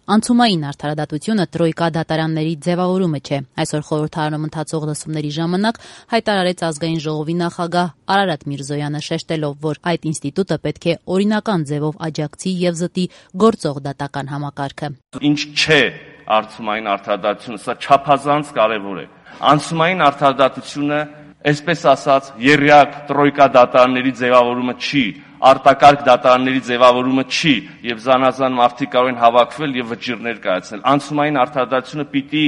Անցումային արդարադատությունը տրոյկա դատարանների ձևավորումը չէ։ Այսօր խորհրդարանում ընթացող լսումների ժամանակ հայտարարեց ազգային ժողովի նախագահ Արարատ Միրզոյանը, շեշտելով, որ այդ ինստիտուտը պետք է օրինական ձևով աջակցի եւ զտի գործող դատական համակարգը։ Ինչ չէ անցումային արդարադատությունը, սա չափազանց կարեւոր է։ Անցումային արդարադատությունը, այսպես ասած, եռյակ տրոյկա դատարանների ձևավորումը չի, արտակարգ դատարանների ձևավորումը չի եւ զանազան մարդիկ կարող են հավաքվել եւ վճիռներ կայացնել։ Անցումային արդարադատությունը պիտի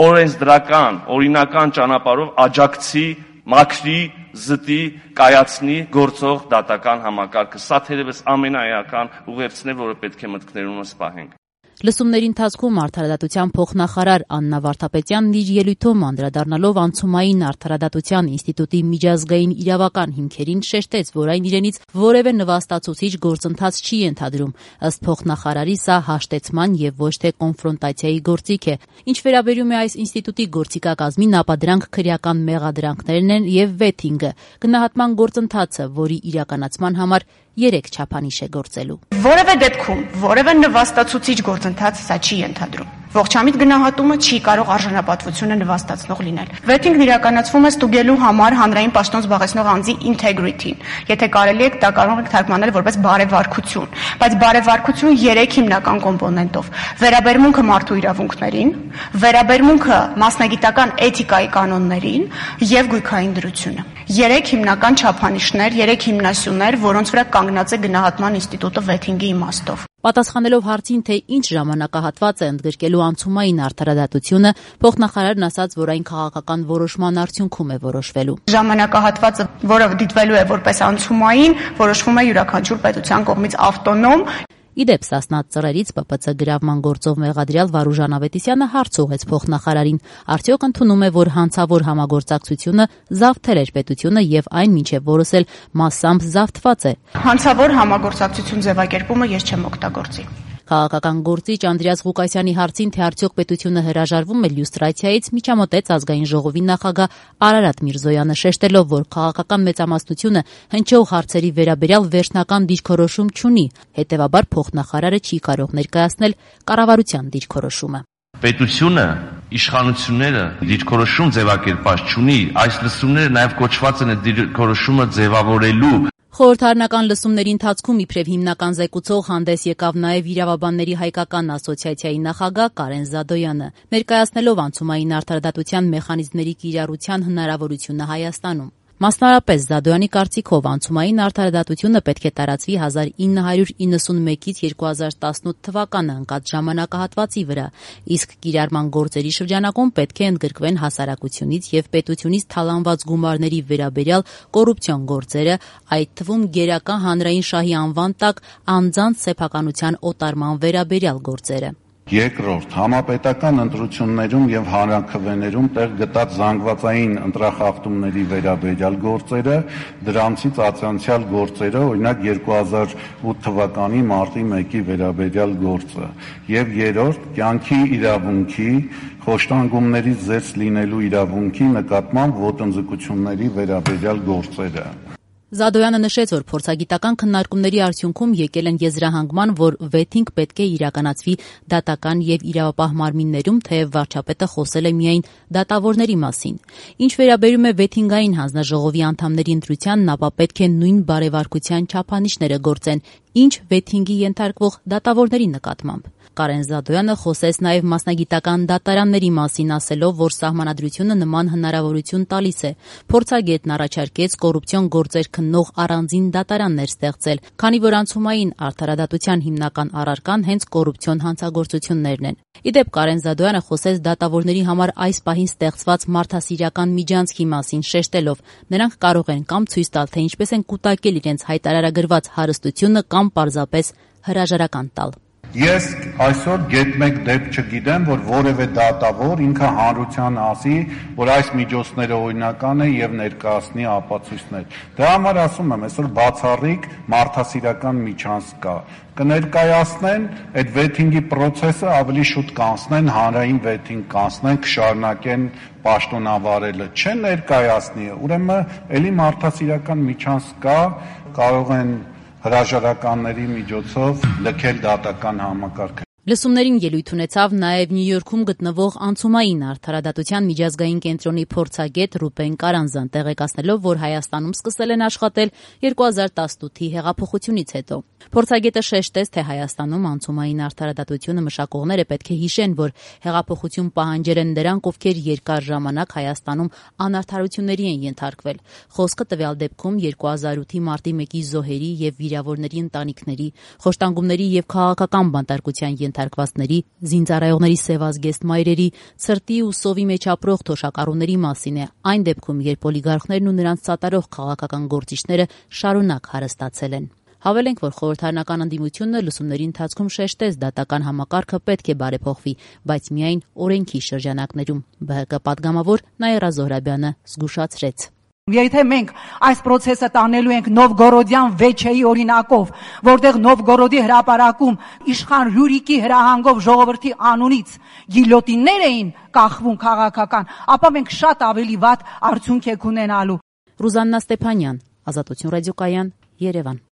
օրենսդրական, օրինական ճանապարհով աջակցի, մաքրի, զտի, կայացնի գործող դատական համակարգը։ Սա թերևս ամենաէական ուղերձն է, որը պետք է մտքներումս պահենք։ Լսումների ընթացքում արդարադատության փոխնախարար Աննա Վարդապետյանն իր ելույթում անդրադառնալով անցումային արդարադատության ինստիտուտի միջազգային իրավական հիմքերին շեշտեց, որ այն իրենից որևէ նվաստացուցիչ գործընթաց չի ենթադրում։ Ըստ փոխնախարարի, սա հաշտեցման եւ ոչ թե կոնֆրոնտացիայի գործիք է։ Ինչ վերաբերում է այս ինստիտուտի գործիքակազմին, ապա դրանք քրեական մեղադրանքներն են եւ վեթինգը, գնահատման գործընթացը, որի իրականացման համար 3 չափանիշ է գործելու։ Որևէ դեպքում որևէ նվաստացուցիչ գործընթաց սա չի ենթադրում։ Ողջամիտ գնահատումը չի կարող արժանապատվությունը նվաստացնող լինել։ Վեթինգն իրականացվում է ստուգելու համար հանրային պաշտոն զբաղեցնող անձի integrity-ն։ Եթե կարելի է, դա կարող եք թարգմանել որպես բարեվարկություն, բայց բարեվարկություն 3 հիմնական կոմպոնենտով՝ վերաբերմունքը մարդու իրավունքներին, վերաբերմունքը մասնագիտական էթիկայի կանոններին եւ գույքային դրությունը։ 3 հիմնական չափանիշներ, 3 հիմնասյուներ, որոնց վրա կանգնած է գնահատման ինստիտուտը վեթինգի իմաստով։ Պատասխանելով հարցին, թե ինչ ժամանակահատված է ընդգրկելու անցումային արդարադատությունը, փոխնախարարն ասաց, որ այն քաղաքական որոշման արդյունքում է որոշվելու։ Ժամանակահատվածը, որը դիտվելու է որպես անցումային, որոշվում է յուրաքանչյուր պետության կողմից ավտոնոմ։ Իդեպ Սասնա ծռերից ՊՊՑ գրավման գործով մեղադրյալ Վարուժան Ավետիսյանը հարց ուղղեց փոխնախարարին. արդյոք ընդունում է, որ հանցավոր համագործակցությունը զավթել էր պետությունը եւ այն մինչեւ որս էլ մասամբ զավթված է։ Հանցավոր համագործակցություն ձևակերպումը ես չեմ օգտագործի։ Քաղաքական գործիչ Անդրեաս Ղուկասյանի հարցին, թե արդյոք պետությունը հրաժարվում է լյուստրացիայից, միջամտեց ազգային ժողովի նախագահ Արարատ Միրզոյանը, շեշտելով, որ քաղաքական մեծամասնությունը հնչող հարցերի վերաբերյալ վերջնական դիրքորոշում չունի, հետևաբար փոխնախարարը չի կարող ներկայացնել կառավարության դիրքորոշումը։ Պետությունը, իշխանությունները դիրքորոշում ձևակերպած չունի, այս լսումները նաև կոչված են դիրքորոշումը ձևավորելու։ Խորհրդարանական լսումների ընթացքում իբրև հիմնական զեկուցող հանդես եկավ նաև Իրավաբանների հայկական ասոցիացիայի նախագահ Կարեն Զադոյանը, ներկայացնելով անցումային արդարադատության մեխանիզմների կիրառության հնարավորությունը Հայաստանում։ Մասնարարպես Զադոյանի կարծիքով անցումային արդարադատությունը պետք է տարածվի 1991-ից 2018 թվականը ընկած ժամանակահատվածի վրա, իսկ կիրառման գործերի շրջանակում պետք է ընդգրկվեն հասարակությունից եւ պետությունից թալանված գումարների վերաբերյալ կոռուպցիոն գործերը, այդ թվում գերակա հանրային շահի անվան տակ անձանց սեփականության օտարման վերաբերյալ գործերը։ Երկրորդ, համապետական ընտրություններում եւ հանրաքվեներում տեղ գտած զանգվածային ընտրախախտումների վերաբերյալ գործերը, դրանցից ացանցյալ գործերը, օրինակ 2008 թվականի մարտի 1-ի վերաբերյալ գործը, եւ երրորդ, կյանքի իրավունքի, խոշտանգումներից զերծ լինելու իրավունքի նկատմամբ ոտնձգությունների վերաբերյալ գործերը։ Զադոյանը նշեց, որ փորձագիտական քննարկումների արդյունքում եկել են եզրահանգման, որ վեթինգ պետք է իրականացվի դատական եւ իրավապահ մարմիններում, թեև վարչապետը խոսել է միայն դատավորների մասին։ Ինչ վերաբերում է վեթինգային հանձնաժողովի անդամների ընտրությանն, ապա պետք է նույն բարեվարկության չափանիշները գործեն, ինչ վեթինգի ենթարկվող դատավորների նկատմամբ։ Կարեն Զադոյանը խոսեց նաև մասնագիտական դատարանների մասին, ասելով, որ սահմանադրությունը նման հնարավորություն տալիս է։ Փորձագետն առաջարկեց կոռուպցիոն գործեր քննող առանձին դատարաններ ստեղծել, քանի որ անցումային արդարադատության հիմնական առարկան հենց կոռուպցիոն հանցագործություններն են։ Իդեպ Կարեն Զադոյանը խոսեց դատավորների համար այս պահին ստեղծված մարդասիրական միջանցքի մասին, շեշտելով, նրանք կարող են կամ ցույց տալ, թե ինչպես են կուտակել իրենց հայտարարագրված հարստությունը կամ պարզապես հրաժարական տալ։ Ես այսօր գետ-մեկ դեպք չգիտեմ, որ որևէ դատավոր ինքը հանրության ասի, որ այս միջոցները օրինական է եւ ներկայացնի ապացույցներ։ Դրա համար ասում եմ, այսօր բացառիկ մարդասիրական միջանցք կա։ Կներկայացնեն այդ վեթինգի process-ը ավելի շուտ կանցնեն, հանրային վեթինգ կանցնեն, կշարունակեն պաշտոնավարելը, չեն ներկայացնի։ Ուրեմն էլի մարդասիրական միջանցք կա, կարող են հրաժարականների միջոցով լքել դատական համակարգը։ Լսումներին ելույթ ունեցավ նաև Նյու Յորքում գտնվող անցումային արդարադատության միջազգային կենտրոնի փորձագետ Ռուբեն Կարանզան, տեղեկացնելով, որ Հայաստանում սկսել են աշխատել 2018-ի հեղափոխությունից հետո։ Փորձագետը շեշտեց, թե Հայաստանում անցումային արդարադատությունը մշակողները պետք է հիշեն, որ հեղափոխություն պահանջել են նրանք, ովքեր երկար ժամանակ Հայաստանում անարդարությունների են ենթարկվել։ Խոսքը տվյալ դեպքում 2008-ի մարտի 1-ի զոհերի եւ վիրավորների ընտանիքների, խոշտանգումների եւ քաղաքական բանտարկության ենթարկվածների, զինծառայողների սևազգեստ մայրերի, ցրտի ու սովի մեջ ապրող թոշակառուների մասին է, այն դեպքում, երբ օլիգարխներն ու նրանց սատարող քաղաքական գործիչները շարունակ հարստացել են։ Հավելենք, որ խորհրդարանական ընդդիմությունը լսումների ընթացքում շեշտեց, դատական համակարգը պետք է բարեփոխվի, բայց միայն օրենքի շրջանակներում։ ԲՀԿ պատգամավոր Նաիրա Զոհրաբյանը զգուշացրեց. Եթե մենք այս process-ը տանելու ենք Նովգորոդյան վեչեի օրինակով, որտեղ Նովգորոդի հրապարակում իշխան Ռյուրիկի հրահանգով ժողովրդի անունից գիլյոտիններ էին կախվում քաղաքական, ապա մենք շատ ավելի վատ արդյունք ենք ունենալու։ Ռուզաննա Ստեփանյան, Ազատություն ռադիոկայան, Երևան։